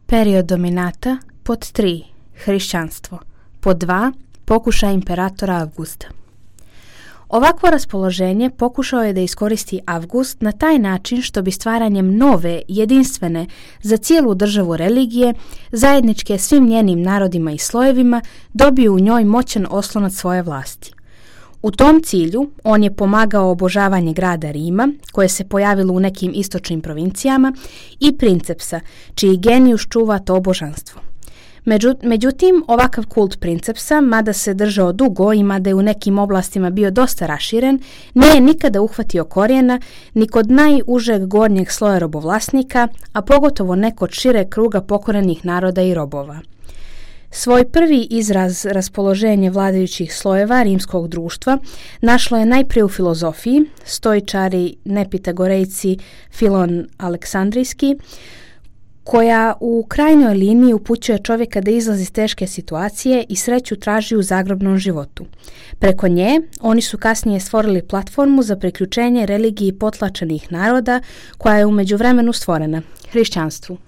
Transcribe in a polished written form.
Period dominata. Pod 3. Hrišćanstvo. Pod 2. Pokušaj imperatora Avgusta. Ovakvo raspoloženje pokušao je da iskoristi Avgust na taj način što bi stvaranjem nove, jedinstvene, za cijelu državu religije, zajedničke svim njenim narodima i slojevima, dobio u njoj moćan oslonac svoje vlasti. U tom cilju on je pomagao obožavanje grada Rima, koje se pojavilo u nekim istočnim provincijama, i princepsa, čiji genijus čuva to božanstvo. Međutim, ovakav kult princepsa, mada se držao dugo i mada je u nekim oblastima bio dosta raširen, nije nikada uhvatio korijena ni kod najužeg gornjeg sloja robovlasnika, a pogotovo ne kod šireg kruga pokorenih naroda i robova. Svoj prvi izraz raspoloženja vladajućih slojeva rimskog društva našlo je najprije u filozofiji, stoičari, nepitagorejci, Filon Aleksandrijski, koja u krajnjoj liniji upućuje čovjeka da izlazi iz teške situacije i sreću traži u zagrobnom životu. Preko nje oni su kasnije stvorili platformu za priključenje religiji potlačenih naroda koja je u međuvremenu stvorena, hrišćanstvu.